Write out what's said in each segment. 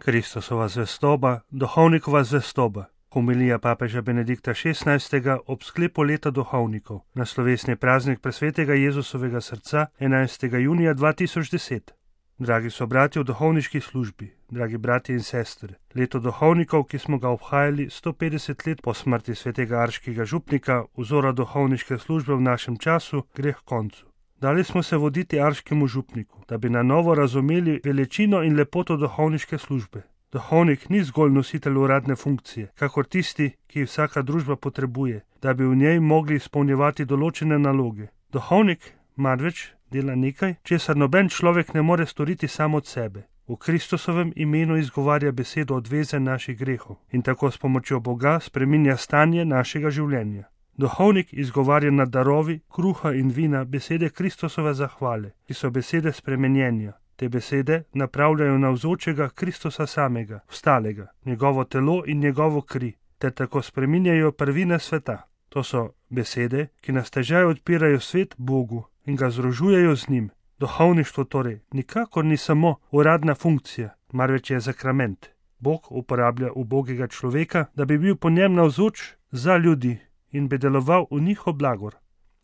Kristusova zvestoba, duhovnikova zvestoba. Homilija papeža Benedikta XVI. Ob sklepu leta duhovnikov na slovesni praznik presvetega Jezusovega srca 11. junija 2010. Dragi sobratje v duhovniški službi, dragi bratje in sestre, leto duhovnikov, ki smo ga obhajali 150 let po smrti svetega arškega župnika, vzora duhovniške službe v našem času, gre k koncu. Dali smo se voditi arškemu župniku, da bi na novo razumeli veličino in lepoto duhovniške službe. Duhovnik ni zgolj nositelj uradne funkcije, kakor tisti, ki jih vsaka družba potrebuje, da bi v njej mogli izpolnjevati določene naloge. Duhovnik marveč dela nekaj, česar noben človek ne more storiti sam od sebe. V Kristusovem imenu izgovarja besedo odveze naših grehov in tako s pomočjo Boga spreminja stanje našega življenja. Duhovnik izgovarja nad darovi, kruha in vina besede Kristusove zahvale, ki so besede spremenjenja. Te besede napravljajo navzočega Kristusa samega, vstalega, njegovo telo in njegovo kri, ter tako spreminjajo prvine sveta. To so besede, ki nas težaj odpirajo svet Bogu in ga združujejo z njim. Duhovništvo torej nikakor ni samo uradna funkcija, marveč je sakrament. Bog uporablja ubogega človeka, da bi bil po njem navzoč za ljudi in bi deloval v njihov blagor.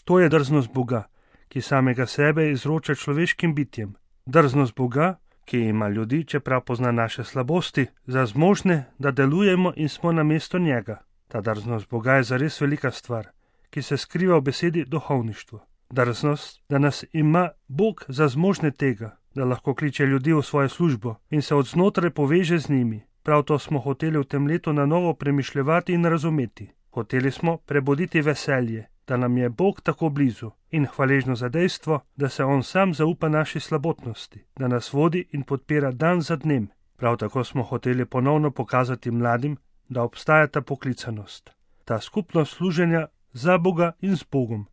To je drznost Boga, ki samega sebe izroča človeškim bitjem. Drznost Boga, ki ima ljudi, čeprav pozna naše slabosti, za zmožne, da delujemo in smo na mesto njega. Ta drznost Boga je zares velika stvar, ki se skriva v besedi duhovništvo. Drznost, da nas ima Bog za zmožne tega, da lahko kliče ljudi v svojo službo in se od znotraj poveže z njimi. Prav to smo hoteli v tem letu na novo premišljevati in razumeti. Hoteli smo prebuditi veselje, da nam je Bog tako blizu, in hvaležno za dejstvo, da se On sam zaupa naši slabotnosti, da nas vodi in podpira dan za dnem. Prav tako smo hoteli ponovno pokazati mladim, da obstaja ta poklicanost, ta skupnost služenja za Boga in z Bogom.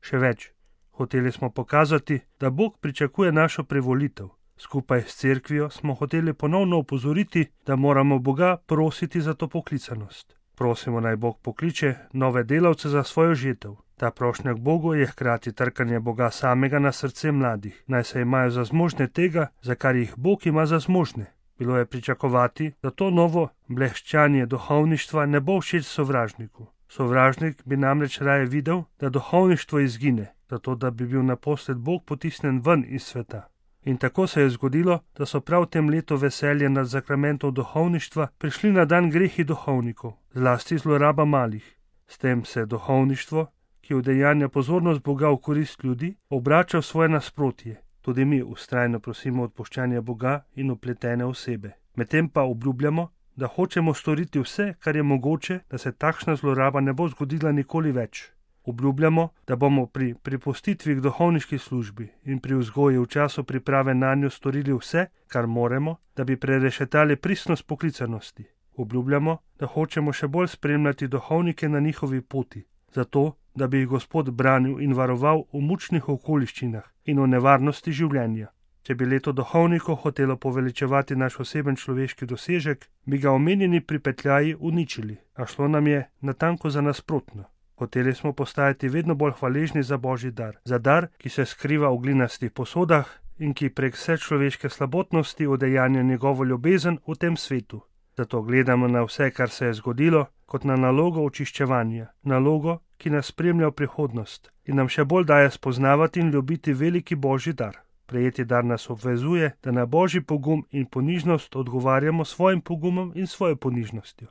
Še več, hoteli smo pokazati, da Bog pričakuje našo privolitev. Skupaj s cerkvijo smo hoteli ponovno opozoriti, da moramo Boga prositi za to poklicanost. Prosimo, naj Bog pokliče nove delavce za svojo žetev. Ta prošnja k Bogu je hkrati trkanje Boga samega na srce mladih, naj se imajo za zmožne tega, za kar jih Bog ima za zmožne. Bilo je pričakovati, da to novo bleščanje duhovništva ne bo všeč sovražniku. Sovražnik bi namreč raje videl, da duhovništvo izgine, zato da bi bil naposled Bog potisnen ven iz sveta. In tako se je zgodilo, da so prav v tem letu veselje nad sakramentom duhovništva prišli na dan grehi duhovnikov, zlasti zloraba malih. S tem se duhovništvo, ki udejanja pozornost Boga v korist ljudi, obrača v svoje nasprotje. Tudi mi vztrajno prosimo odpuščanja Boga in upletene osebe. Medtem pa obljubljamo, da hočemo storiti vse, kar je mogoče, da se takšna zloraba ne bo zgodila nikoli več. Obljubljamo, da bomo pri pripustitvi k duhovniški službi in pri vzgoji v času priprave na njo storili vse, kar moremo, da bi prerešetali pristnost poklicanosti. Obljubljamo, da hočemo še bolj spremljati duhovnike na njihovi poti, zato, da bi jih Gospod branil in varoval v mučnih okoliščinah in v nevarnosti življenja. Če bi leto duhovnikov hotelo poveličevati naš oseben človeški dosežek, bi ga omenjeni pripetljaji uničili, a šlo nam je natanko za nasprotno. Hoteli smo postajati vedno bolj hvaležni za Božji dar, za dar, ki se skriva v glinastih posodah in ki prek vse človeške slabotnosti udejanja njegovo ljubezen v tem svetu. Zato gledamo na vse, kar se je zgodilo, kot na nalogo očiščevanja, nalogo, ki nas spremlja v prihodnost in nam še bolj daje spoznavati in ljubiti veliki Božji dar. Prejeti dar nas obvezuje, da na Božji pogum in ponižnost odgovarjamo svojim pogumom in svojo ponižnostjo.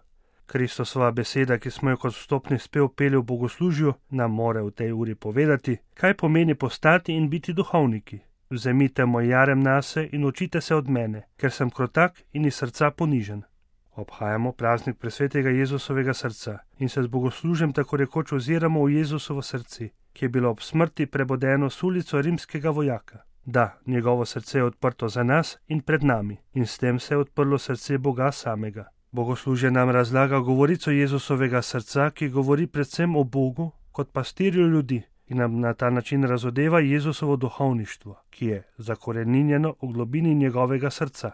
Kristusova beseda, ki smo jo kot vstopni spev peli v bogoslužju, nam more v tej uri povedati, kaj pomeni postati in biti duhovniki. Vzemite moj jarem nase in učite se od mene, ker sem krotak in iz srca ponižen. Obhajamo praznik presvetega Jezusovega srca in se z bogoslužjem tako rekoč oziramo v Jezusovo srce, ki je bilo ob smrti prebodeno s ulico rimskega vojaka. Da, njegovo srce je odprto za nas in pred nami in s tem se je odprlo srce Boga samega. Bogoslužje nam razlaga govorico Jezusovega srca, ki govori predvsem o Bogu kot pastirju ljudi in nam na ta način razodeva Jezusovo duhovništvo, ki je zakoreninjeno v globini njegovega srca.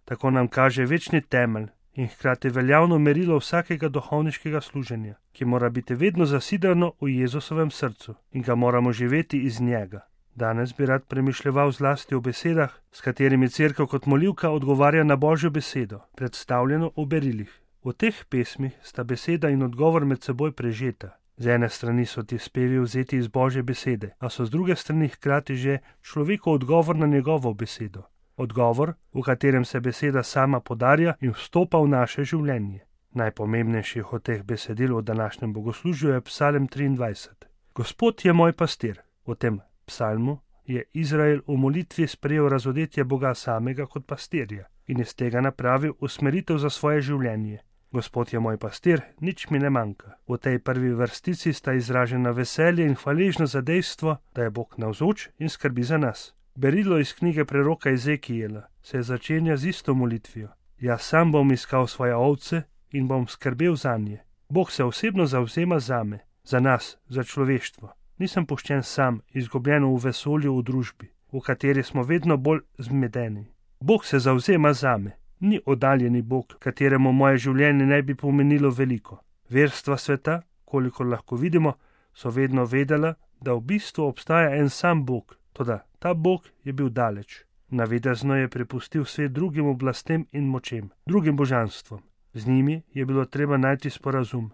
Tako nam kaže večni temelj in hkrati veljavno merilo vsakega duhovniškega služenja, ki mora biti vedno zasidrano v Jezusovem srcu in ga moramo živeti iz njega. Danes bi rad premišljeval zlasti o besedah, s katerimi Cerkev kot molivka odgovarja na Božjo besedo, predstavljeno v berilih. V teh pesmih sta beseda in odgovor med seboj prežeta. Z ene strani so ti spevi vzeti iz Božje besede, a so z druge strani hkrati že človekov odgovor na njegovo besedo. Odgovor, v katerem se beseda sama podarja in vstopa v naše življenje. Najpomembnejših od teh besedil v današnjem bogoslužju je Psalm 23. Gospod je moj pastir. V tem psalmu je Izrael v molitvi sprejel razodetje Boga samega kot pastirja in iz tega napravil usmeritev za svoje življenje. Gospod je moj pastir, nič mi ne manjka. V tej prvi vrstici sta izražena veselje in hvaležnost za dejstvo, da je Bog navzoč in skrbi za nas. Berilo iz knjige preroka Ezekijela se začenja z isto molitvijo. Jaz sam bom iskal svoje ovce in bom skrbel zanje. Bog se osebno zavzema zame, za nas, za človeštvo. Nisem puščen sam, izgubljen v vesolju v družbi, v kateri smo vedno bolj zmedeni. Bog se zavzema zame. Ni oddaljeni Bog, kateremu moje življenje ne bi pomenilo veliko. Verstva sveta, kolikor lahko vidimo, so vedno vedela, da v bistvu obstaja en sam Bog, toda ta Bog je bil daleč. Navidezno je prepustil svet drugim oblastem in močem, drugim božanstvom. Z njimi je bilo treba najti sporazum.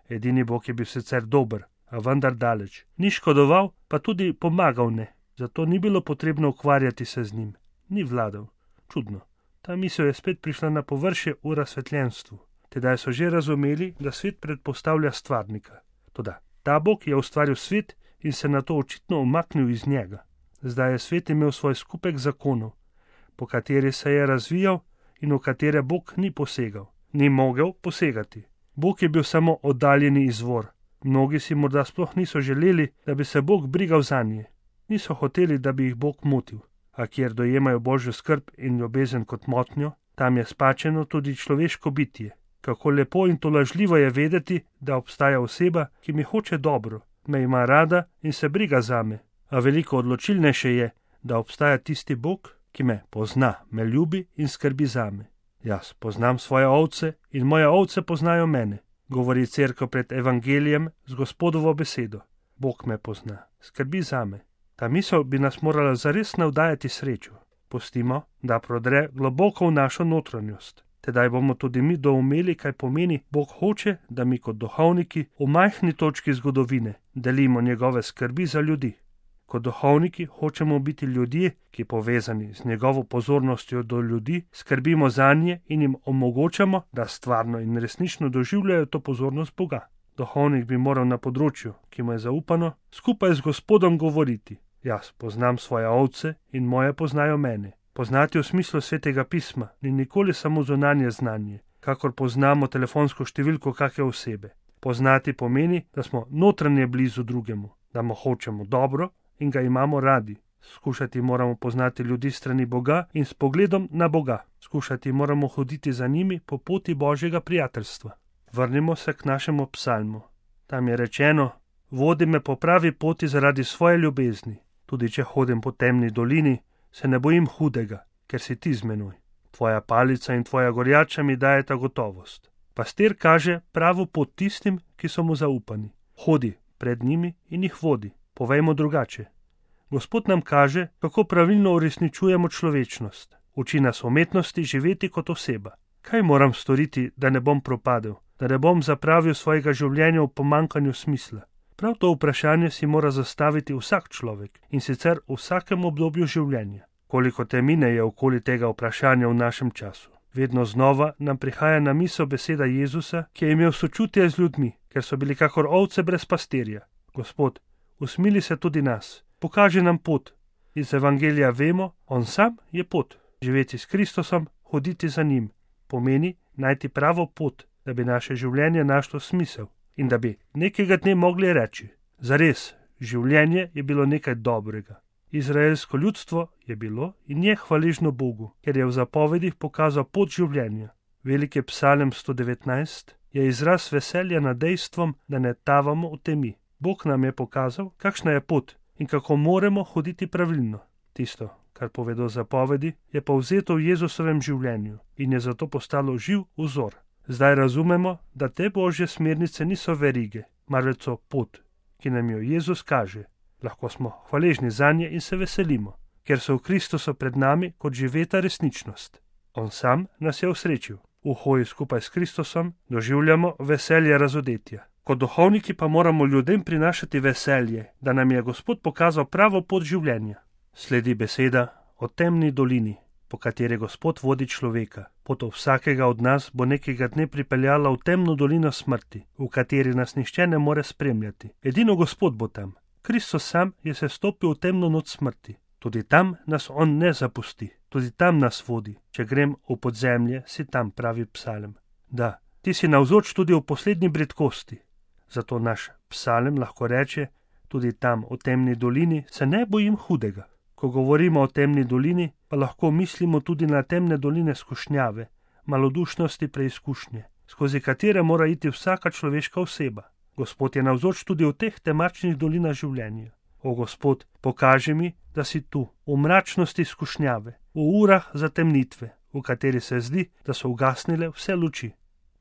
Edini Bog je bil sicer dober, a vendar daleč. Ni škodoval, pa tudi pomagal ne, zato ni bilo potrebno ukvarjati se z njim. Ni vladal. Čudno. Ta misel je spet prišla na površje v razsvetljenstvu. Tedaj so že razumeli, da svet predpostavlja stvarnika. Toda ta Bog je ustvaril svet in se nato očitno umaknil iz njega. Zdaj je svet imel svoj skupek zakonov, po kateri se je razvijal in v katere Bog ni posegal. Ni mogel posegati. Bog je bil samo oddaljeni izvor. Mnogi si morda sploh niso želeli, da bi se Bog brigal zanje. Niso hoteli, da bi jih Bog motil. A kjer dojemajo Božjo skrb in ljubezen kot motnjo, tam je spačeno tudi človeško bitje. Kako lepo in tolažljivo je vedeti, da obstaja oseba, ki mi hoče dobro, me ima rada in se briga zame. A veliko odločilnejše je, da obstaja tisti Bog, ki me pozna, me ljubi in skrbi zame. Jaz poznam svoje ovce in moje ovce poznajo mene, govori Cerkev pred evangelijem z Gospodovo besedo. Bog me pozna, skrbi zame. Ta misel bi nas morala zares navdajati srečo. Pustimo, da prodre globoko v našo notranjost. Tedaj bomo tudi mi doumeli, kaj pomeni, Bog hoče, da mi kot duhovniki v majhni točki zgodovine delimo njegove skrbi za ljudi. Kot duhovniki hočemo biti ljudje, ki povezani z njegovo pozornostjo do ljudi, skrbimo zanje in jim omogočamo, da stvarno in resnično doživljajo to pozornost Boga. Duhovnik bi moral na področju, ki mu je zaupano, skupaj z Gospodom govoriti. Jaz poznam svoje ovce in moje poznajo mene. Poznati v smislu Svetega pisma ni nikoli samo zunanje znanje, kakor poznamo telefonsko številko kakšne osebe. Poznati pomeni, da smo notranje blizu drugemu, da mu hočemo dobro in ga imamo radi. Skušati moramo poznati ljudi strani Boga in s pogledom na Boga. Skušati moramo hoditi za njimi po poti Božjega prijateljstva. Vrnimo se k našemu psalmu. Tam je rečeno: vodi me po pravi poti zaradi svoje ljubezni. Tudi če hodim po temni dolini, se ne bojim hudega, ker si ti z menoj. Tvoja palica in tvoja gorjača mi dajeta gotovost. Pastir kaže pravo pot tistim, ki so mu zaupani. Hodi pred njimi in jih vodi. Povejmo drugače. Gospod nam kaže, kako pravilno uresničujemo človečnost. Uči nas umetnosti živeti kot oseba. Kaj moram storiti, da ne bom propadel, da ne bom zapravil svojega življenja v pomanjkanju smisla? Prav to vprašanje si mora zastaviti vsak človek in sicer v vsakem obdobju življenja. Koliko temine je okoli tega vprašanja v našem času. Vedno znova nam prihaja na misel beseda Jezusa, ki je imel sočutje z ljudmi, ker so bili kakor ovce brez pastirja. Gospod, usmili se tudi nas, pokaži nam pot. Iz evangelija vemo, on sam je pot. Živeti s Kristusom, hoditi za njim, pomeni najti pravo pot, da bi naše življenje našlo smisel in da bi nekega dne mogli reči: zares, življenje je bilo nekaj dobrega. Izraelsko ljudstvo je bilo in je hvaležno Bogu, ker je v zapovedih pokazal pot življenja. Veliki psalm 119 je izraz veselja nad dejstvom, da ne tavamo v temi. Bog nam je pokazal, kakšna je pot in kako moramo hoditi pravilno. Tisto, kar povedo zapovedi, je povzeto v Jezusovem življenju in je zato postalo živ vzor. Zdaj razumemo, da te Božje smernice niso verige, marveč so pot, ki nam jo Jezus kaže. Lahko smo hvaležni zanje in se veselimo, ker so v Kristusu pred nami kot živeta resničnost. On sam nas je osrečil. V hoji skupaj s Kristusom doživljamo veselje razodetja. Kot duhovniki pa moramo ljudem prinašati veselje, da nam je Gospod pokazal pravo pot življenja. Sledi beseda o temni dolini, po kateri Gospod vodi človeka. Pot vsakega od nas bo nekega dne pripeljala v temno dolino smrti, v kateri nas nihče ne more spremljati. Edino Gospod bo tam. Kristus sam je se stopil v temno noč smrti. Tudi tam nas on ne zapusti. Tudi tam nas vodi. Če grem v podzemlje, si tam, pravi psalem. Da, ti si navzoč tudi v poslednji bridkosti. Zato naš psalem lahko reče, tudi tam v temni dolini se ne bojim hudega. Ko govorimo o temni dolini, pa lahko mislimo tudi na temne doline skušnjave, malodušnosti preizkušnje, skozi katere mora iti vsaka človeška oseba. Gospod je navzoč tudi v teh temačnih dolinah življenja. O Gospod, pokaži mi, da si tu, v mračnosti skušnjave, v urah zatemnitve, v kateri se zdi, da so ugasnile vse luči.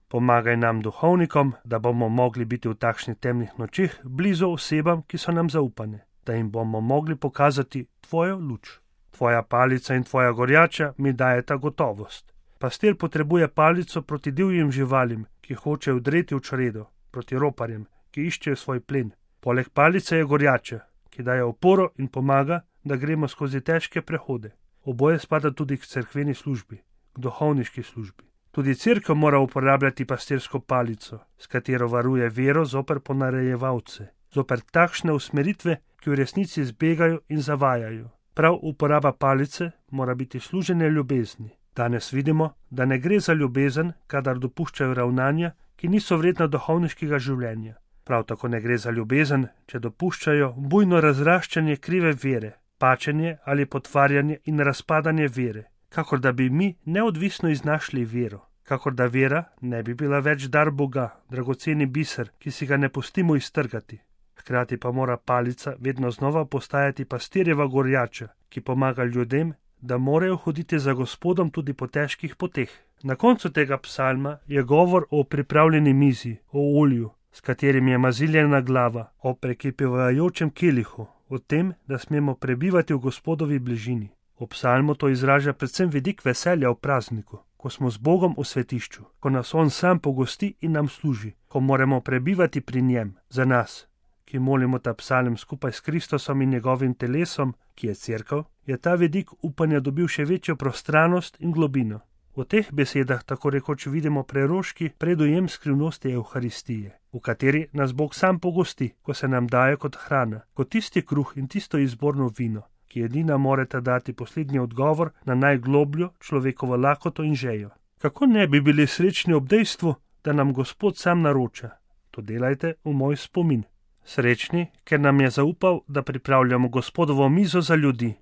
Pomagaj nam, duhovnikom, da bomo mogli biti v takšnih temnih nočeh blizu osebam, ki so nam zaupane, da jim bomo mogli pokazati tvojo luč. Tvoja palica in tvoja gorjača mi dajeta gotovost. Pastir potrebuje palico proti divjim živalim, ki hočejo vdreti v čredo, proti roparjem, ki iščejo svoj plen. Poleg palice je gorjača, ki daje oporo in pomaga, da gremo skozi težke prehode. Oboje spada tudi k cerkveni službi, k duhovniški službi. Tudi cerkev mora uporabljati pastirsko palico, s katero varuje vero zoper ponarejevalce, zoper takšne usmeritve, ki v resnici zbegajo in zavajajo. Prav uporaba palice mora biti služenje ljubezni. Danes vidimo, da ne gre za ljubezen, kadar dopuščajo ravnanja, ki niso vredna duhovniškega življenja. Prav tako ne gre za ljubezen, če dopuščajo bujno razraščanje krive vere, pačenje ali potvarjanje in razpadanje vere, kakor da bi mi neodvisno iznašli vero, kakor da vera ne bi bila več dar Boga, dragoceni biser, ki si ga ne pustimo iztrgati. Hkrati pa mora palica vedno znova postajati pastirjeva gorjača, ki pomaga ljudem, da morajo hoditi za Gospodom tudi po težkih poteh. Na koncu tega psalma je govor o pripravljeni mizi, o olju, s katerim je maziljena glava, o prekipevajočem kelihu, o tem, da smemo prebivati v Gospodovi bližini. V psalmu to izraža predvsem vidik veselja v prazniku, ko smo z Bogom v svetišču, ko nas on sam pogosti in nam služi, ko moramo prebivati pri njem. Za nas, ki molimo ta psalm skupaj s Kristusom in njegovim telesom, ki je cerkev, je ta vidik upanja dobil še večjo prostranost in globino. V teh besedah tako rekoč vidimo preroški predujem skrivnosti Evharistije, v kateri nas Bog sam pogosti, ko se nam daje kot hrana, kot tisti kruh in tisto izborno vino, ki edina moreta dati poslednji odgovor na najglobljo človekovo lakoto in žejo. Kako ne bi bili srečni ob dejstvu, da nam Gospod sam naroča? To delajte v moj spomin. Srečni, ker nam je zaupal, da pripravljamo Gospodovo mizo za ljudi,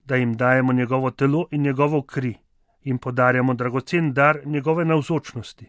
da jim dajemo njegovo telo in njegovo kri, jim podarjamo dragocen dar njegove navzočnosti.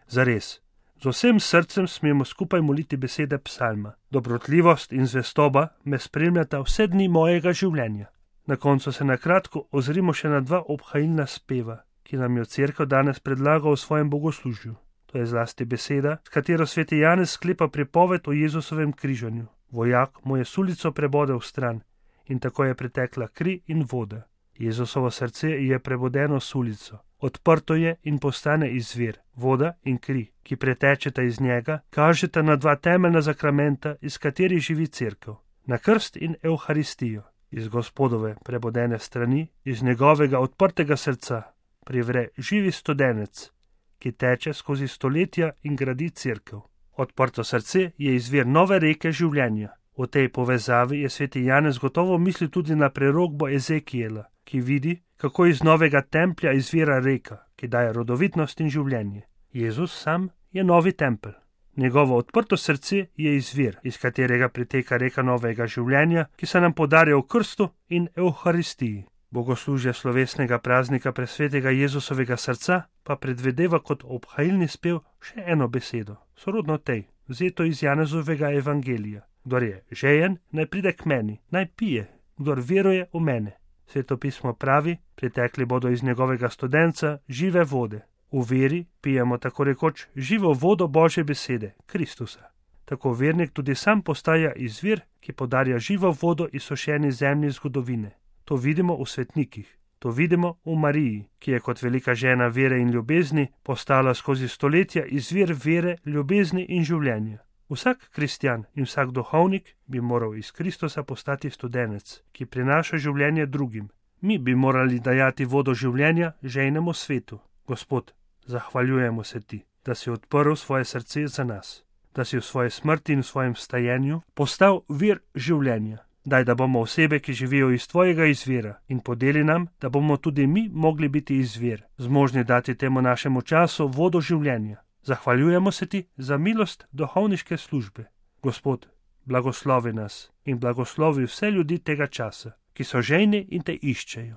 Zares, z vsem srcem smemo skupaj moliti besede psalma. Dobrotljivost in zvestoba me spremljata vse dni mojega življenja. Na koncu se na kratko ozrimo še na dva obhajilna speva, ki nam jo cerkev danes predlaga v svojem bogoslužju. To je zlasti beseda, s katero sveti Janez sklepa pripoved o Jezusovem križanju. Vojak mu je sulico prebodel stran in tako je pretekla kri in voda. Jezusovo srce je prebodeno sulico. Odprto je in postane izvir. Voda in kri, ki pretečeta iz njega, kažeta na dva temeljna zakramenta, iz katerih živi cerkev. Na krst in Evharistijo. Iz Gospodove prebodene strani, iz njegovega odprtega srca, privre živi studenec, ki teče skozi stoletja in gradi cerkev. Odprto srce je izvir nove reke življenja. V tej povezavi je sveti Janez gotovo mislil tudi na prerokbo Ezekijela, ki vidi, kako iz novega templja izvira reka, ki daje rodovitnost in življenje. Jezus sam je novi tempelj. Njegovo odprto srce je izvir, iz katerega priteka reka novega življenja, ki se nam podarja v krstu in Evharistiji. Bogoslužje slovesnega praznika presvetega Jezusovega srca pa predvedeva kot obhajilni spev še eno besedo, sorodno tej, vzeto iz Janezovega evangelija. Kdor je žejen, naj pride k meni, naj pije, kdor veruje v mene. Sveto pismo pravi, pritekli bodo iz njegovega studenca žive vode. V veri pijemo tako rekoč živo vodo Božje besede, Kristusa. tako vernik tudi sam postaja izvir, ki podarja živo vodo izsušeni zemlji zgodovine. To vidimo v svetnikih. To vidimo v Mariji, ki je kot velika žena vere in ljubezni postala skozi stoletja izvir vere, ljubezni in življenja. Vsak kristjan in vsak duhovnik bi moral iz Kristusa postati studenec, ki prinaša življenje drugim. Mi bi morali dajati vodo življenja žejnemu svetu. Gospod, zahvaljujemo se ti, da si odprl svoje srce za nas, da si v svoji smrti in v svojem vstajenju postal vir življenja. Daj, da bomo osebe, ki živijo iz tvojega izvira, in podeli nam, da bomo tudi mi mogli biti izvir, zmožni dati temu našemu času vodo življenja. Zahvaljujemo se ti za milost duhovniške službe. Gospod, blagoslovi nas in blagoslovi vse ljudi tega časa, ki so žejni in te iščejo.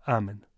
Amen.